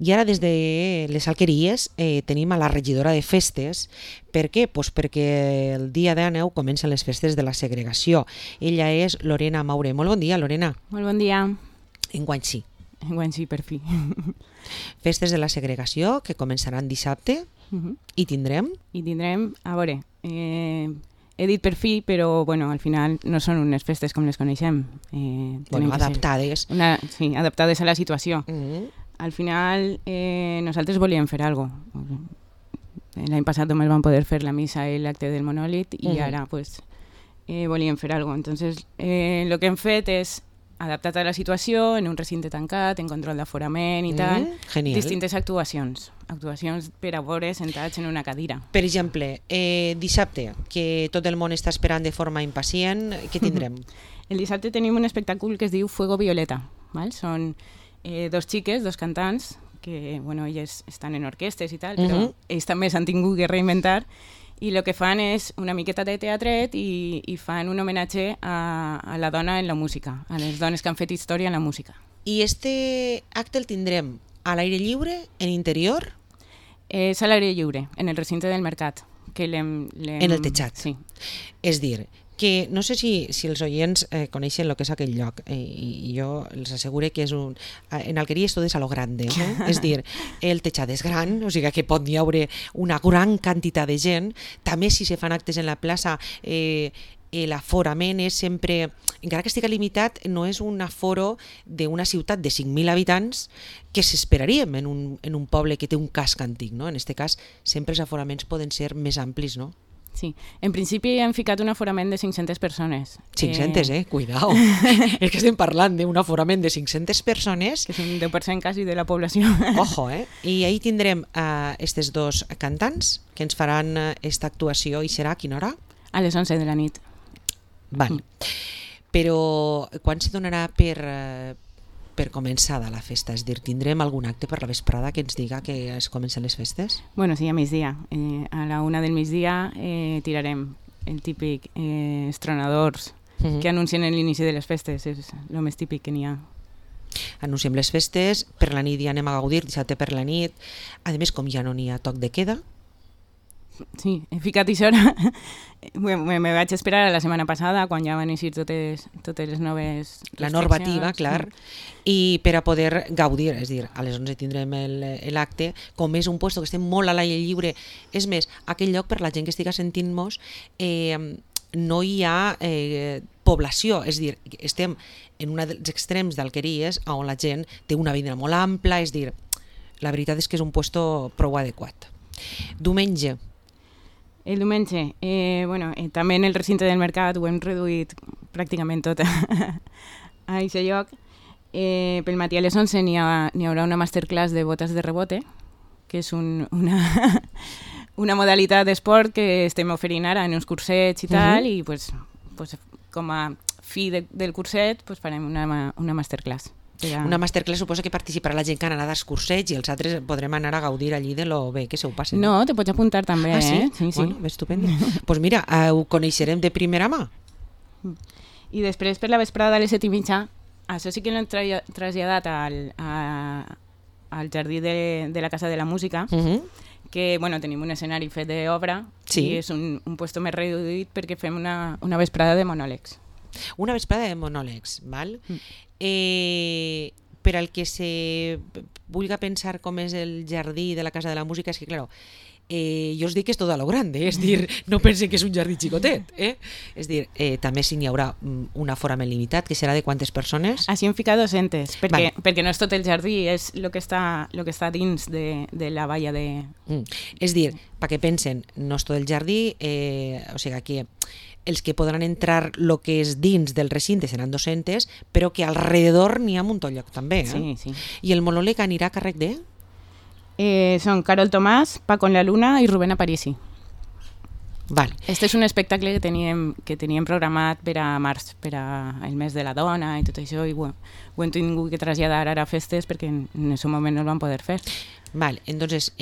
I ara des de les Alqueries tenim a la regidora de festes. Per què? Pues perquè el dia de neu comencen les festes de la segregació. Ella és Lorena Maure. Molt bon dia, Lorena. Molt bon dia. Enguany sí. Enguany sí, per fi. Festes de la segregació que començaran dissabte i tindrem... A veure, he dit per fi, però bueno, al final no són unes festes com les coneixem. Adaptades. Sí, adaptades a la situació. Al final nosaltres volíem fer alguna cosa. L'any passat només vam poder fer la missa i l'acte del monòlit i ara pues, volíem fer alguna cosa. Entonces, el que hem fet és adaptat a la situació, en un recinte tancat, en control d'aforament i tal, distintes actuacions per a veure sentats en una cadira. Per exemple, dissabte, que tot el món està esperant de forma impacient, què tindrem? El dissabte tenim un espectacle que es diu Fuego Violeta. Val? Són dos xiques, dos cantants, que bueno, elles estan en orquestes i tal, però ells també s'han tingut que reinventar i el que fan és una miqueta de teatret i fan un homenatge a la dona en la música, a les dones que han fet història en la música. I este acte el tindrem a l'aire lliure, en interior? És a l'aire lliure, en el recinte del mercat. En el tejat? Sí. És dir, que no sé si els oients coneixen el que és aquell lloc i jo els asseguro que és en Alqueries tot és a lo grande, és dir, el tejat és gran, o sigui que pot hi haure una gran quantitat de gent, també si se fan actes en la plaça l'aforament és sempre, encara que estigui limitat, no és un aforo d'una ciutat de 5.000 habitants que s'esperaríem en un poble que té un casc antic, no? En aquest cas sempre els aforaments poden ser més amplis, no? Sí, en principi hem ficat un aforament de 500 persones. 500, cuidao. És que estem parlant d'un aforament de 500 persones. Que és un 10% quasi de la població. Ojo, I ahir tindrem estes dos cantants que ens faran esta actuació i serà a quina hora? A les 11 de la nit. Val. Però quan se donarà per començada la festa? És dir, tindrem algun acte per la vesprada que ens diga que es comencen les festes? Bueno, sí, a migdia. A la 1 del migdia tirarem el típic estronadors que anuncien l'inici de les festes. És el més típic que n'hi ha. Anunciem les festes, per la nit ja anem a gaudir, dissabte per la nit. A més, com ja no n'hi ha toc de queda, sí, he ficat això ara. Me vaig esperar a la setmana passada quan ja van eixir totes les noves la normativa, clar, i per a poder gaudir, és dir, a les 11 tindrem l'acte, com és un lloc que estem molt a l'aire lliure, és més, aquell lloc per la gent que estiga sentint-nos no hi ha població, és dir, estem en un dels extrems d'Alqueries on la gent té una vida molt ampla, és dir, la veritat és que és un lloc prou adequat. Diumenge. El diumenge, també en el recinte del mercat ho hem reduït pràcticament tot a aquest lloc. Pel matí a les 11 n'hi haurà una masterclass de botes de rebote, que és una modalitat d'esport que estem oferint ara en uns cursets i tal, i com a fi del curset farem una masterclass. Una masterclass suposa que participarà la gent que han anat als cursets i els altres podrem anar a gaudir allí de lo bé que se ho passen. No, te pots apuntar també. Ah, sí? Sí. Bueno, estupendo. Doncs mira, ho coneixerem de primera mà. I després per la vesprada a les 7:30, això sí que l'hem traslladat al jardí de la Casa de la Música, que tenim un escenari fet d'obra i és un lloc més reduït perquè fem una vesprada de monòlegs. Una vesprada de monòlegs, val? Per al que se vulgui pensar com és el jardí de la Casa de la Música, és que, clar, jo us dic que és tot a lo grande, és dir, no pensen que és un jardí xicotet, és dir, també si n'hi haurà un aforament limitat, que serà de quantes persones? Així hem ficat 200, perquè no és tot el jardí, és el que està dins de la valla de... És dir, perquè pensen, no és tot el jardí, o sigui que els que podran entrar el que és dins del recinte seran 200, però que alrededor n'hi ha un munt lloc també. Sí. I el monòleg anirà a càrrec de? Són Carol Tomàs, Paco en la Luna i Rubén Aparici. Vale. Este és un espectacle que teníem programat per a març, per al mes de la dona i tot això, i ho hem tingut que traslladar ara a festes perquè en aquest moment no el vam poder fer. Vale, entonces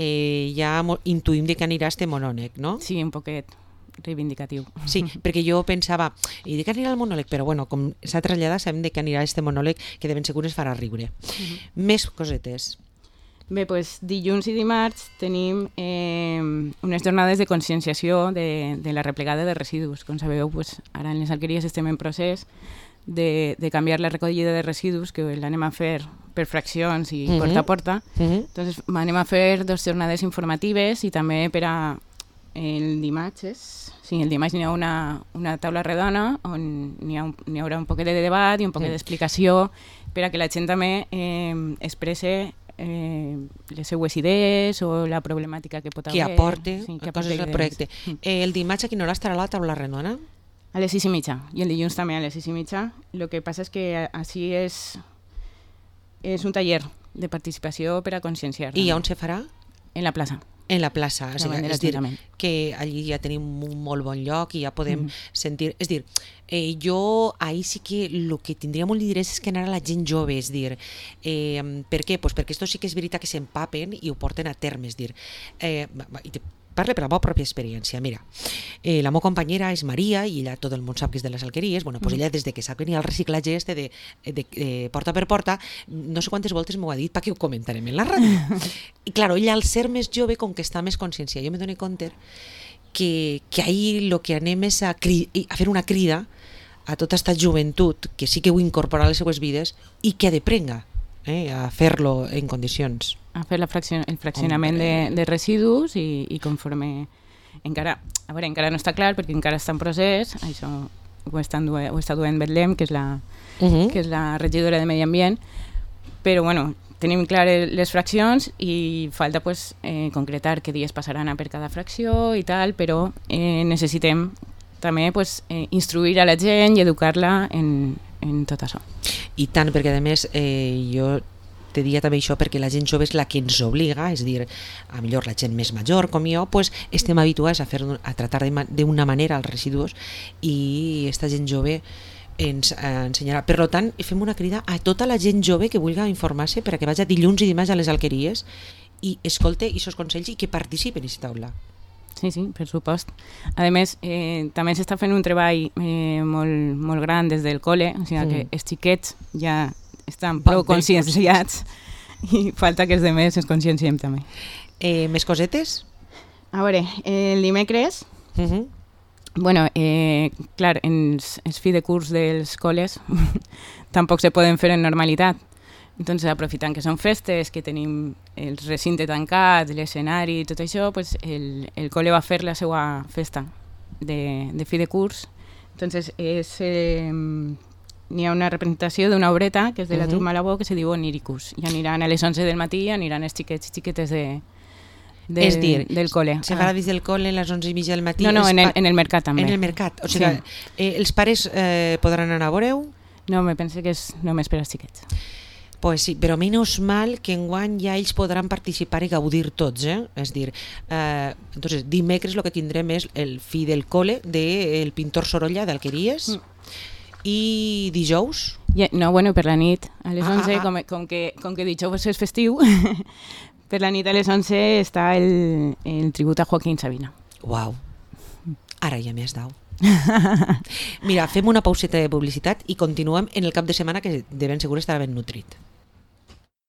ja intuïm que anirà este monòleg, no? Sí, un poquet reivindicatiu. Sí, perquè jo pensava, i de que anirà el monòleg, però bueno, com s'ha traslladat, sabem que anirà este monòleg que de ben segur es farà riure. Més cosetes. Bé, doncs dilluns i dimarts tenim unes jornades de conscienciació de la replegada de residus. Com sabeu, doncs, ara en les alqueries estem en procés de canviar la recollida de residus, que l'anem a fer per fraccions i porta a porta. Entonces, anem a fer 2 jornades informatives i també per a el dimarts, el dimarts hi ha una taula redona on hi haurà un poquet de debat i un poquet d'explicació per a que la gent també expresse les seues idees o la problemàtica que pot haver. Que aporte coses al projecte. El dimarts a quina hora estarà la taula redona? A les 6:30 i el dilluns també a les 6:30. El que passa és que així és un taller de participació per a conscienciar. I on se farà? En la plaça. En la plaça, és dir, que allí ja tenim un molt bon lloc i ja podem sentir... És dir, jo ahir sí que el que tindria molt d'interès és que anara la gent jove, és dir, per què? Pues perquè esto sí que és veritat que s'empapen i ho porten a terme, és dir, parle per la meva pròpia experiència. Mira, la meva companyera és Maria i ella tot el món sap que és de les alqueries. Bueno, pues ella des de que sap que n'hi ha el reciclatge de porta per porta, no sé quantes voltes m'ho ha dit perquè ho comentarem en la ràdio. I claro, ella al ser més jove, com que està més consciència, jo me dono compte que ahir el que anem és a fer una crida a tota aquesta joventut que sí que ho incorpora a les seues vides i que ha de prenga a fer-lo en condicions. A fer el fraccionament de residus i conforme... Encara no està clar perquè encara està en procés, això ho està duent Betlem, que és la regidora de Medi Ambient, però bueno, tenim clar les fraccions i falta pues, concretar què dies passaran per cada fracció i tal, però necessitem també pues, instruir a la gent i educar-la en tot això. I tant, perquè a més jo te diria també això perquè la gent jove és la que ens obliga, és a dir, a millor la gent més major com jo, pues, estem habituats a tratar d'una manera els residus i aquesta gent jove ens ensenyarà. Per tant, fem una crida a tota la gent jove que vulgui informar-se per a que vagi dilluns i dimarts a les alqueries i escolte aquests consells i que participen en aquesta taula. Sí, per supost. A més, també s'està fent un treball molt gran des del col·le, o sigui que els xiquets ja estan prou conscienciats i falta que els demés es conscienciem també. Més cosetes? A veure, el dimecres, bueno, clar, els fi de curs dels col·les tampoc se poden fer en normalitat. Entonces, aprofitant que són festes, que tenim el recinte tancat, l'escenari i tot això, pues el col·le va fer la seva festa de fi de curs. Entonces, n'hi ha una representació d'una obreta, que és de la Truc Malabó, que se diu Oniricus. I aniran a les 11 del matí, aniran els xiquets i xiquetes del col·le. Se farà des del col·le a les 11:30 del matí? No, en el mercat també. En el mercat, o sigui, els pares podran anar a veure-ho? No, me penso que és només per als xiquets. Pues sí, però menys mal que enguany ja ells podran participar i gaudir tots, És dir, entonces, dimecres el que tindrem és el fi del col·le del pintor Sorolla d'Alqueries i dijous? No, bueno, per la nit, a les 11, com que dijous és festiu, per la nit a les 11 està el tribut a Joaquín Sabina. Uau, ara ja m'has dau. Mira, fem una pauseta de publicitat i continuem en el cap de setmana que de ben segur estarà ben nutrit.